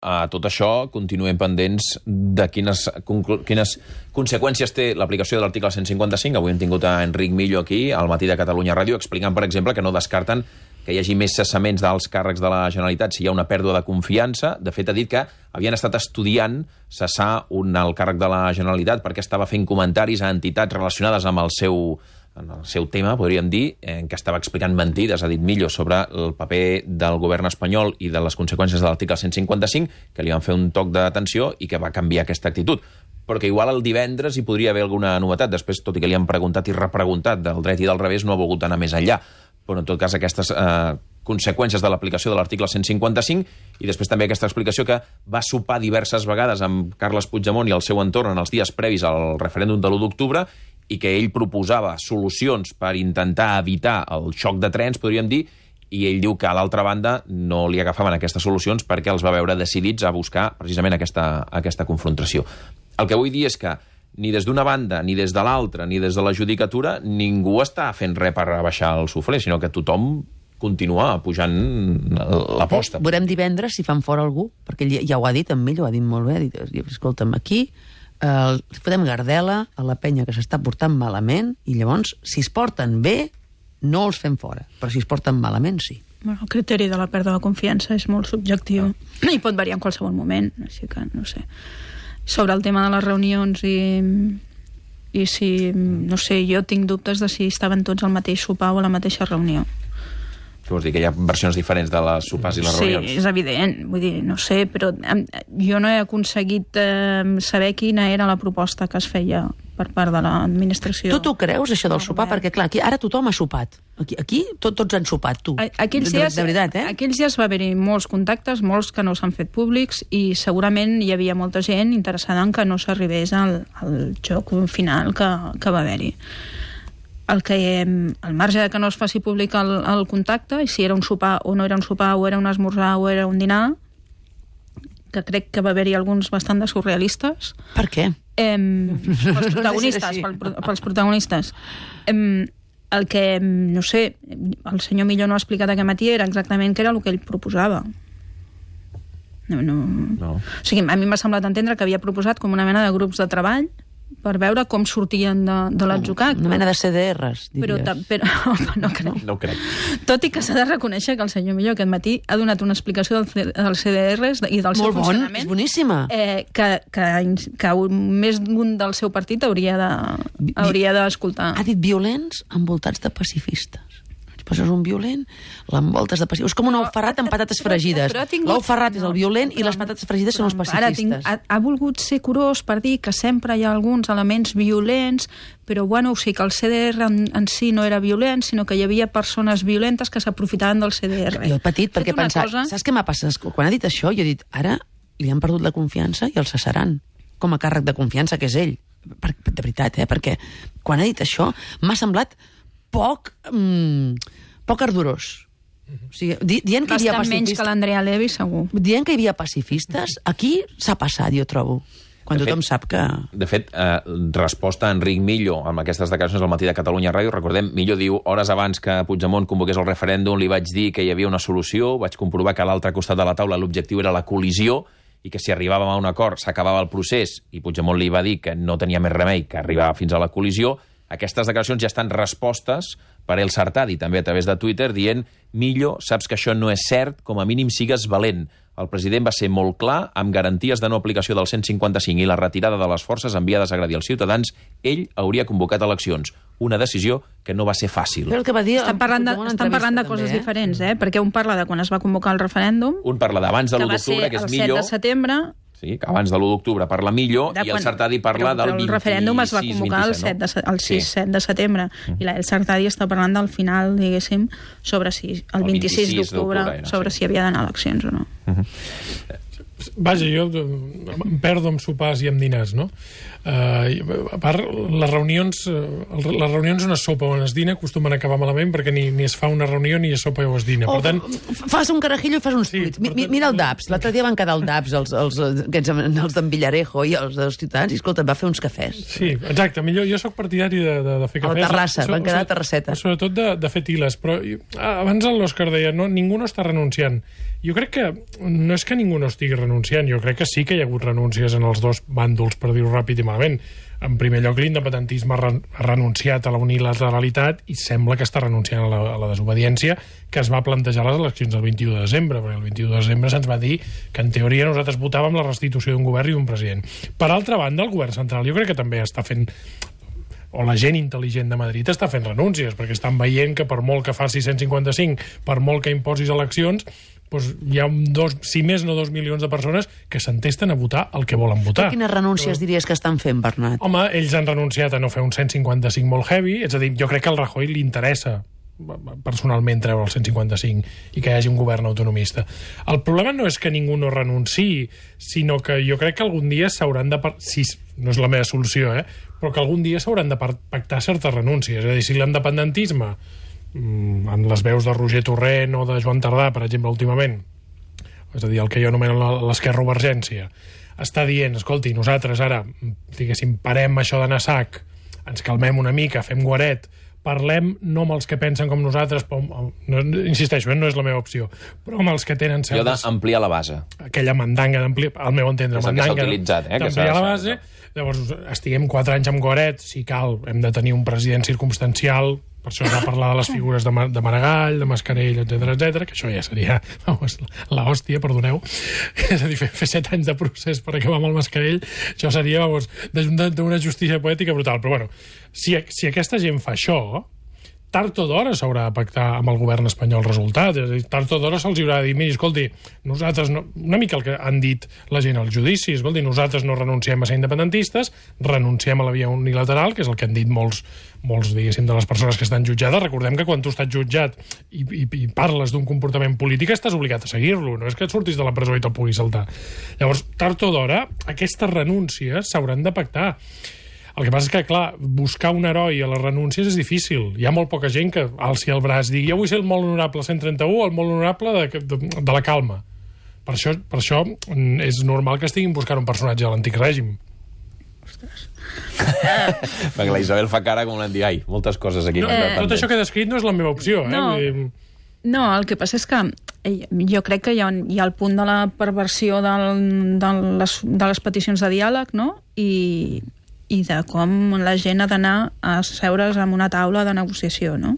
a tot això continuem pendents de quines conseqüències té l'aplicació de l'article 155. Avui hem tingut a Enric Millo aquí, al Matí de Catalunya Ràdio, explicant, per exemple, que no descarten que hi hagi més cessaments d'alts càrrecs de la Generalitat si hi ha una pèrdua de confiança. De fet, ha dit que havien estat estudiant cessar un alt càrrec de la Generalitat perquè estava fent comentaris a entitats relacionades amb el seu tema, podríem dir, en què estava explicant mentides, ha dit Millo, sobre el paper del govern espanyol i de les conseqüències de l'article 155, que li van fer un toc d'atenció i que va canviar aquesta actitud. Però que igual el divendres hi podria haver alguna novetat. Després, tot i que li han preguntat i repreguntat del dret i del revés, no ha volgut anar més enllà. Però, en tot cas, aquestes conseqüències de l'aplicació de l'article 155 i després també aquesta explicació que va sopar diverses vegades amb Carles Puigdemont i el seu entorn en els dies previs al referèndum de l'1 d'octubre i que ell proposava solucions per intentar evitar el xoc de trens, podríem dir, i ell diu que, a l'altra banda, no li agafaven aquestes solucions perquè els va veure decidits a buscar precisament aquesta confrontació. El que vull dir és que ni des d'una banda, ni des de l'altra, ni des de la judicatura, ningú està fent res per rebaixar el suflé, sinó que tothom continua pujant l'aposta. Veurem divendres si fan fora algú, perquè ja ho ha dit, en Millo, ho ha dit molt bé, ha dit, escolta'm, aquí fotem gardela a la penya que s'està portant malament i llavors, si es porten bé, no els fem fora, però si es porten malament, sí. Bueno, el criteri de la pèrdua de confiança és molt subjectiu i pot variar en qualsevol moment, així que no sé. Sobre el tema de les reunions i si, no sé, jo tinc dubtes de si estaven tots al mateix sopar o a la mateixa reunió. Què vols dir, que hi ha versions diferents de les sopars i les reunions? Sí, és evident, vull dir, no sé, però jo no he aconseguit saber quina era la proposta que es feia per part de l'administració. Tu t'ho creus, això del sopar? Perquè, clar, aquí, ara tothom ha sopat. Aquí tots han sopat, tu. Aquells dies, de veritat, aquells dies va haver-hi molts contactes, molts que no s'han fet públics, i segurament hi havia molta gent interessada en que no s'arribés al joc final que va haver-hi. Al marge de que no es faci públic el contacte, i si era un sopar o no era un sopar, o era un esmorzar o era un dinar, que crec que va haver-hi alguns bastant de surrealistes. Per què? Pels protagonistes. El que, no sé, el senyor Millo no ha explicat aquest matí era exactament què era el que ell proposava. No. O sigui, a mi m'ha semblat entendre que havia proposat com una mena de grups de treball per veure com sortien de l'atzucac. Una mena de CDRs, diries. Però no crec. No crec. Tot i que s'ha de reconèixer que el senyor Millo aquest matí ha donat una explicació dels CDRs i del seu funcionament. És boníssima. Que més d'un del seu partit hauria d'escoltar. Ha dit violents envoltats de pacifistes. Poses un violent, l'envoltes de pacifistes. És com un ou ferrat amb patates fregides. L'ou ferrat és el violent i les patates fregides són els pacifistes. Ha volgut ser curós per dir que sempre hi ha alguns elements violents, però bueno, o sigui que el CDR en si no era violent, sinó que hi havia persones violentes que s'aprofitaven del CDR. Jo he patit perquè pensava, saps què m'ha passat? Quan ha dit això, jo he dit, ara li han perdut la confiança i el cessaran com a càrrec de confiança, que és ell. De veritat, perquè quan ha dit això m'ha semblat poc ardorós. O sigui, dient que hi havia bastant menys que l'Andrea Levy, segur. Dient que hi havia pacifistes, aquí s'ha passat, jo trobo. Quan tothom sap que... De fet, resposta a Enric Millo amb aquestes declaracions al Matí de Catalunya Ràdio. Recordem, Millo diu, hores abans que Puigdemont convoqués el referèndum, li vaig dir que hi havia una solució, vaig comprovar que a l'altre costat de la taula l'objectiu era la col·lisió i que si arribàvem a un acord s'acabava el procés, i Puigdemont li va dir que no tenia més remei que arribar fins a la col·lisió. Aquestes declaracions ja estan respostes per El Sartadi, també a través de Twitter, dient Millo, saps que això no és cert, com a mínim sigues valent. El president va ser molt clar, amb garanties de no aplicació del 155 i la retirada de les forces enviades a agredir els ciutadans, ell hauria convocat eleccions. Una decisió que no va ser fàcil. Però el que va dir... Estan parlant de coses diferents, perquè un parla de quan es va convocar el referèndum... Un parla d'abans de l'1 d'octubre, que és Millo... Que va ser el 7 de setembre... Sí, que abans de l'1 d'octubre parla Millo i el Sartadi parla del 26-27, el referèndum es va convocar el 6-7 de setembre i el Sartadi està parlant del final, diguéssim, sobre si el 26 d'octubre, sobre si havia d'anar a eleccions o no. Vaja, jo em perdo amb sopars i amb dinars, no? A part, les reunions on es sopa o on es dina acostumen a acabar malament perquè ni es fa una reunió ni es sopa o es dina. Per tant... Fas un carajillo i fas uns tuits. Mira el DAPS. L'altre dia van quedar el DAPS, els d'en Villarejo i els dels ciutadans, i escolta, va fer uns cafès. Sí, exacte. Jo sóc partidari de fer cafès. A la terrassa, van quedar a terrasseta. Sobretot de fer tiles. Però abans l'Òscar deia, ningú no està renunciant. Jo crec que no és que ningú no estigui renunciant, jo crec que sí que hi ha hagut renúncies en els dos bàndols, per dir-ho ràpid i malament. En primer lloc, l'independentisme ha renunciat a la unilateralitat i sembla que està renunciant a la desobediència que es va plantejar a les eleccions del 21 de desembre, perquè el 21 de desembre se'ns va dir que en teoria nosaltres votàvem la restitució d'un govern i d'un president. Per altra banda, el govern central jo crec que també està fent, o la gent intel·ligent de Madrid està fent renúncies, perquè estan veient que per molt que faci 155, per molt que imposis eleccions, doncs hi ha si més no 2 milions de persones que s'entesten a votar el que volen votar. Però quines renúncies diries que estan fent, Bernat? Home, ells han renunciat a no fer un 155 molt heavy, és a dir, jo crec que al Rajoy li interessa personalment treure el 155 i que hi hagi un govern autonomista. El problema no és que ningú no renunciï, sinó que jo crec que algun dia s'hauran de... Si no és la meva solució, però que algun dia s'hauran de pactar certes renúncies. És a dir, si l'independentisme, en les veus de Roger Torrent o de Joan Tardà, per exemple, últimament, és a dir, el que jo anomeno l'esquerrovergència, està dient, escolti, nosaltres ara, diguéssim, parem això d'anar a sac, ens calmem una mica, fem guaret, parlem no amb els que pensen com nosaltres, insisteixo, no és la meva opció, però amb els que tenen certes... Allò d'ampliar la base. Aquella mandanga d'ampliar, al meu entendre, mandanga d'ampliar la base. Llavors, estiguem 4 anys amb guaret, si cal, hem de tenir un president circumstancial, per això es va parlar de les figures de Maragall, de Mascarell, etc, que això ja seria l'hòstia, perdoneu. És a dir, fer 7 anys de procés per acabar amb el Mascarell, això seria d'una justícia poètica brutal. Però bueno, si aquesta gent fa això, tard o d'hora s'haurà de pactar amb el govern espanyol el resultat. És a dir, tard o d'hora se'ls haurà de dir, miri, escolti, nosaltres no... Una mica el que han dit la gent als judicis, escolti, nosaltres no renunciem a ser independentistes, renunciem a la via unilateral, que és el que han dit molts, diguéssim, de les persones que estan jutjades. Recordem que quan tu estàs jutjat i parles d'un comportament polític estàs obligat a seguir-lo, no és que et surtis de la presó i te'l puguis saltar. Llavors, tard o d'hora, aquestes renúncies s'hauran de pactar. El que passa és que, clar, buscar un heroi a les renúncies és difícil. Hi ha molt poca gent que alci el braç i digui jo vull ser el molt honorable 131 o el molt honorable de la calma. Per això és normal que estiguin buscant un personatge de l'antic règim. Ostres. Perquè la Isabel fa cara com l'han dit, ai, moltes coses aquí. Tot això que he descrit no és la meva opció. No, el que passa és que jo crec que hi ha el punt de la perversió de les peticions de diàleg, no? I de com la gent ha d'anar a seure's en una taula de negociació, no?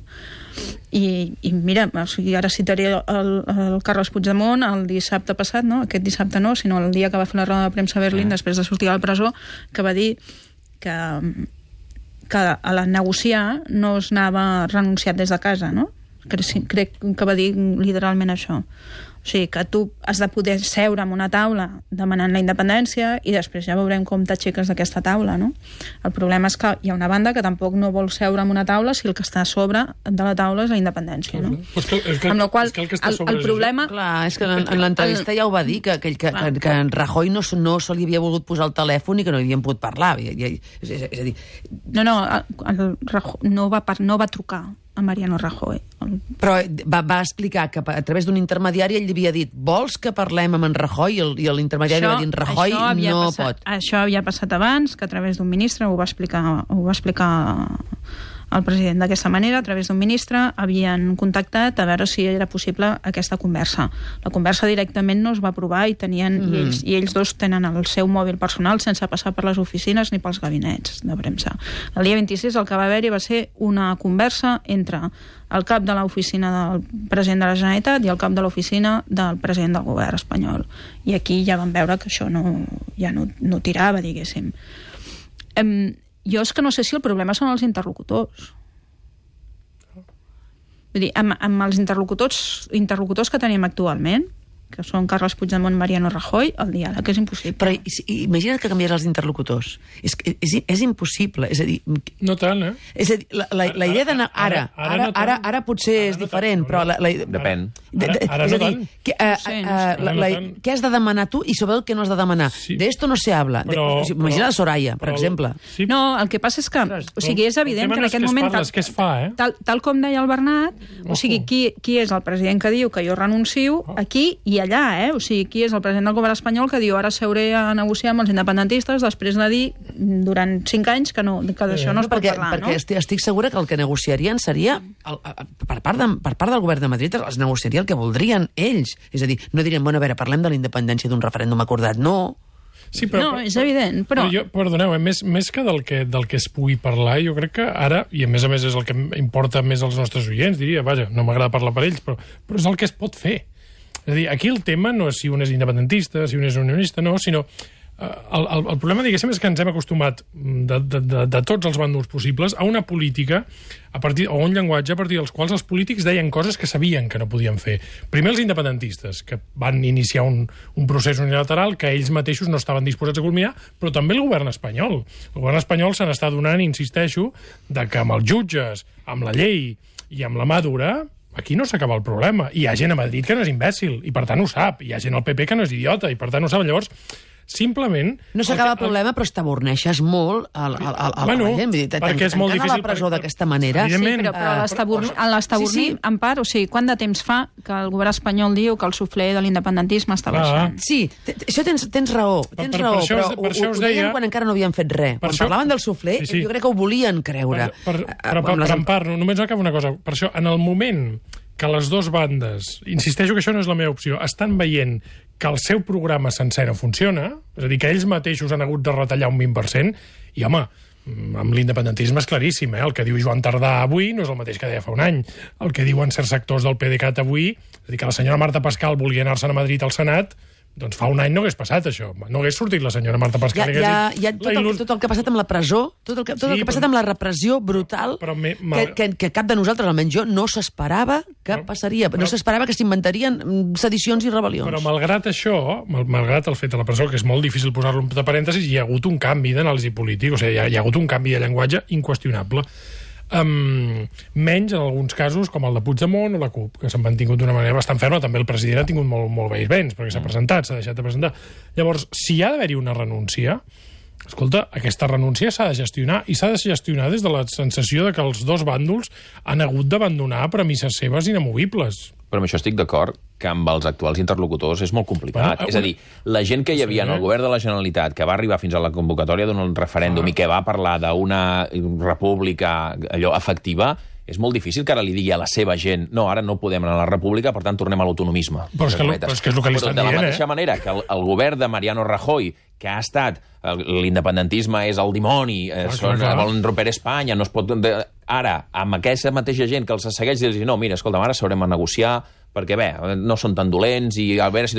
I mira, o sigui, ara citaré el Carles Puigdemont el dissabte passat, no? Aquest dissabte no, sinó el dia que va fer la roda de premsa a Berlín després de sortir de la presó, que va dir que a la negociar no es anava renunciat des de casa, no? Crec que va dir literalment això. O sigui, que tu has de poder seure en una taula demanant la independència i després ja veurem com t'aixeques d'aquesta taula, no? El problema és que hi ha una banda que tampoc no vol seure en una taula si el que està a sobre de la taula és la independència, no? Amb la qual el problema... Clar, és que en l'entrevista ja ho va dir, que en Rajoy no se li havia volgut posar el telèfon i que no hi havien pogut parlar. És a dir... No va trucar a Mariano Rajoy. Però va explicar que a través d'un intermediari ell li havia dit vols que parlem amb en Rajoy? I l'intermediari va dir Rajoy no pot. Això havia passat abans, que a través d'un ministre ho va explicar el president d'aquesta manera, a través d'un ministre havien contactat a veure si era possible aquesta conversa. La conversa directament no es va aprovar i ells dos tenen el seu mòbil personal sense passar per les oficines ni pels gabinets de premsa. El dia 26 el que va haver-hi va ser una conversa entre el cap de l'oficina del president de la Generalitat i el cap de l'oficina del president del govern espanyol. I aquí ja vam veure que això no tirava, diguéssim. Jo és que no sé si el problema són els interlocutors. Vull dir, amb els interlocutors que tenim actualment, que són Carles Puigdemont, Mariano Rajoy, el diàleg és impossible. Però imagina't que canvies els interlocutors. És impossible. És a dir... No tant, És a dir, la idea d'anar... Ara potser és diferent, però... Depèn. Ara no tant. Què has de demanar tu i sobre el que no has de demanar? De esto no se habla. Imagina la Soraya, per exemple. No, el que passa és que... O sigui, és evident que en aquest moment... És que es fa, tal com deia el Bernat, o sigui, qui és el president que diu que jo renuncio aquí i allà, O sigui, qui és el president del govern espanyol que diu ara seuré a negociar amb els independentistes després de dir durant 5 anys que d'això no es pot parlar, no? Perquè estic segura que el que negociarien seria, per part del govern de Madrid, es negociaria el que voldrien ells. És a dir, no dirien, bueno, a veure, parlem de la independència d'un referèndum acordat, no. Sí, però, no, és evident, però... Perdoneu, més que del que es pugui parlar, jo crec que ara, i a més és el que importa més als nostres oients, diria, vaja, no m'agrada parlar per ells, però és el que es pot fer. És a dir, aquí el tema no és si un és independentista, si un és unionista, no, sinó... El problema, diguéssim, és que ens hem acostumat de tots els bàndols possibles a una política o un llenguatge a partir dels quals els polítics deien coses que sabien que no podien fer. Primer els independentistes, que van iniciar un procés unilateral que ells mateixos no estaven disposats a culminar, però també el govern espanyol. El govern espanyol se n'està donant, insisteixo, de que amb els jutges, amb la llei i amb la mà dura, aquí no s'acaba el problema. Hi ha gent a Madrid que no és imbècil, i per tant ho sap. Hi ha gent al PP que no és idiota, i per tant ho sap. Llavors, simplement... No s'acaba el problema, però estaborneixes molt a la gent. Perquè és molt difícil... a la presó d'aquesta manera... Sí, però l'estabornir, en part, o sigui, quant de temps fa que el govern espanyol diu que el suflé de l'independentisme està baixant? Sí, això tens raó, però ho deien quan encara no havien fet res. Quan parlaven del suflé, jo crec que ho volien creure. Però en part, només acaba una cosa. Per això, en el moment que les dues bandes, insisteixo que això no és la meva opció, estan veient que el seu programa sencer no funciona, és a dir, que ells mateixos han hagut de retallar un 20%, i, home, amb l'independentisme és claríssim, el que diu Joan Tardà avui no és el mateix que deia fa un any. El que diuen certs sectors del PDeCAT avui, és a dir, que la senyora Marta Pascal volia anar-se'n a Madrid al Senat, doncs fa un any no hagués passat això. No hagués sortit la senyora Marta Pascal. Tot el que ha passat amb la presó, tot el que ha passat amb la repressió brutal, que cap de nosaltres, almenys jo, no s'esperava que passaria. No s'esperava que s'inventarien sedicions i rebel·lions. Però malgrat això, malgrat el fet de la presó, que és molt difícil posar-lo entre parèntesis, hi ha hagut un canvi d'anàlisi polític, o sigui, hi ha hagut un canvi de llenguatge inqüestionable. Menys en alguns casos com el de Puigdemont o la CUP, que s'han mantingut d'una manera bastant ferma. També el president ha tingut molt vents, perquè s'ha presentat, s'ha deixat de presentar. Llavors, si hi ha d'haver-hi una renúncia, escolta, aquesta renúncia s'ha de gestionar, i s'ha de gestionar des de la sensació de que els dos bàndols han hagut d'abandonar premisses seves inamovibles. Però amb això estic d'acord que amb els actuals interlocutors és molt complicat. És a dir, la gent que hi havia en el govern de la Generalitat, que va arribar fins a la convocatòria d'un referèndum i que va parlar d'una república allò efectiva, és molt difícil que ara li digui a la seva gent no, ara no podem anar a la república, per tant tornem a l'autonomisme. Però és que és el que li estan dient, de la mateixa manera que el govern de Mariano Rajoy, que ha estat l'independentisme és el dimoni, volen romper Espanya, no es pot... Ara, amb aquesta mateixa gent que els segueix, dir-los, no, mira, escolta, ara s'haurem a negociar, perquè bé, no són tan dolents, i a veure si...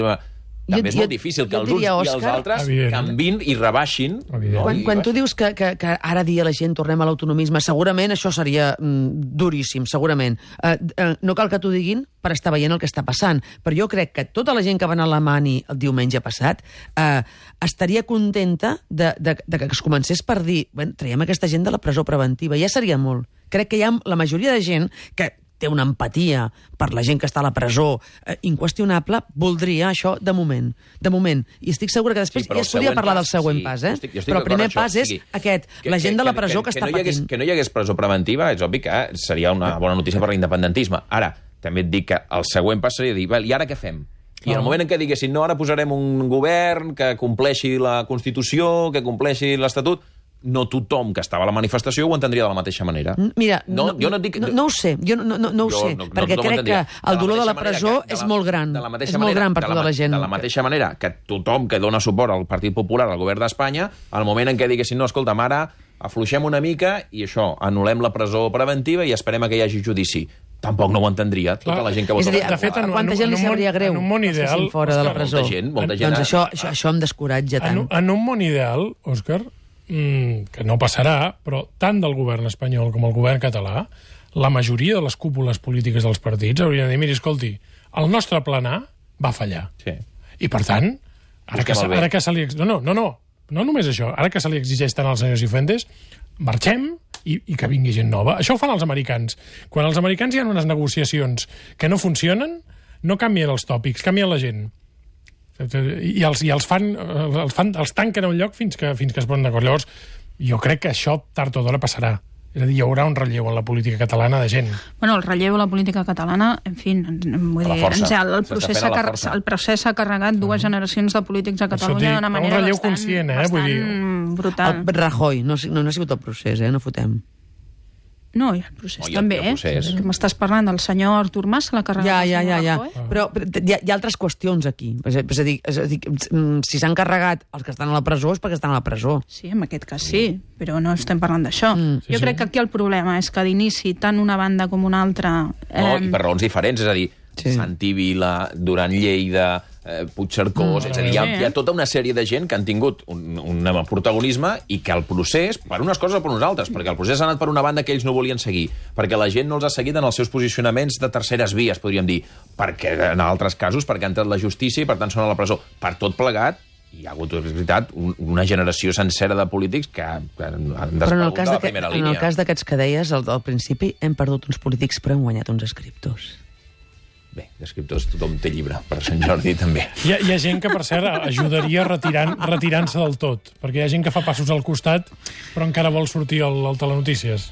També és molt difícil que els uns i els altres canvin i rebaixin. Quan tu dius que ara dia la gent tornem a l'autonomisme, segurament això seria duríssim, segurament. No cal que t'ho diguin per estar veient el que està passant, però jo crec que tota la gent que va anar a Alemany el diumenge passat estaria contenta de que es comencés per dir, traiem aquesta gent de la presó preventiva, ja seria molt. Crec que hi ha la majoria de gent que té una empatia per la gent que està a la presó inqüestionable, voldria això de moment. I estic segura que després ja es podria parlar del següent pas, però el primer pas és aquest, la gent de la presó que està patint. Que no hi hagués presó preventiva, és obvi que seria una bona notícia per l'independentisme. Ara, també et dic que el següent pas seria dir, i ara què fem? I en el moment en què diguessin, no, ara posarem un govern que compleixi la Constitució, que compleixi l'Estatut, no tothom que estava a la manifestació ho entendria de la mateixa manera. Mira, no ho sé, no ho sé, perquè crec que el dolor de la presó és molt gran. És molt gran per tota la gent. De la mateixa manera que tothom que dona suport al Partit Popular, al govern d'Espanya, al moment en què diguessin, no, escolta'm, ara afluixem una mica i això, anul·lem la presó preventiva i esperem que hi hagi judici. Tampoc no ho entendria tota la gent que vota. És a dir, quanta gent li sabria greu que estiguin fora de la presó? Molta gent. Doncs això em descoratja tant. En un món ideal, Òscar, que no passarà, però tant del govern espanyol com el govern català, la majoria de les cúpules polítiques dels partits haurien de dir, miri, escolti, el nostre plan A va fallar. Sí. I per tant, ara que se li... No només això, ara que se li exigeix tant al senyor Cifuentes, marxem i que vingui gent nova. Això ho fan els americans. Quan els americans hi ha unes negociacions que no funcionen, no canvien els tòpics, canvien la gent. I els tanquen a un lloc fins que es posen d'acord. Llavors, jo crec que això tard o d'hora passarà. És a dir, hi haurà un relleu en la política catalana de gent. Bueno, el relleu a la política catalana, en fi, vull dir, el procés s'ha carregat dues generacions de polítics a Catalunya d'una manera bastant brutal. El Rajoy, no ha sigut el procés, no fotem. No, i el procés també, que m'estàs parlant del senyor Artur Mas, se l'ha carregat el senyor Rajoy. Però hi ha altres qüestions aquí. És a dir, si s'han carregat els que estan a la presó és perquè estan a la presó. Sí, en aquest cas sí, però no estem parlant d'això. Jo crec que aquí el problema és que d'inici tant una banda com una altra... No, i per raons diferents, és a dir, Santi Vila, Duran Lleida, Puigcercós, és a dir, hi ha tota una sèrie de gent que han tingut un protagonisme i que el procés, per unes coses o per unes altres, perquè el procés ha anat per una banda que ells no volien seguir, perquè la gent no els ha seguit en els seus posicionaments de terceres vies, podríem dir, perquè en altres casos, perquè ha entrat la justícia i per tant són a la presó. Per tot plegat, hi ha hagut, és veritat, una generació sencera de polítics que han desaparegut de la primera línia. En el cas d'aquests que deies, al principi, hem perdut uns polítics però hem guanyat uns escriptors. Bé, d'escriptors tothom té llibre, per Sant Jordi també. Hi ha gent que, per cert, ajudaria retirant-se del tot, perquè hi ha gent que fa passos al costat però encara vol sortir al Telenotícies.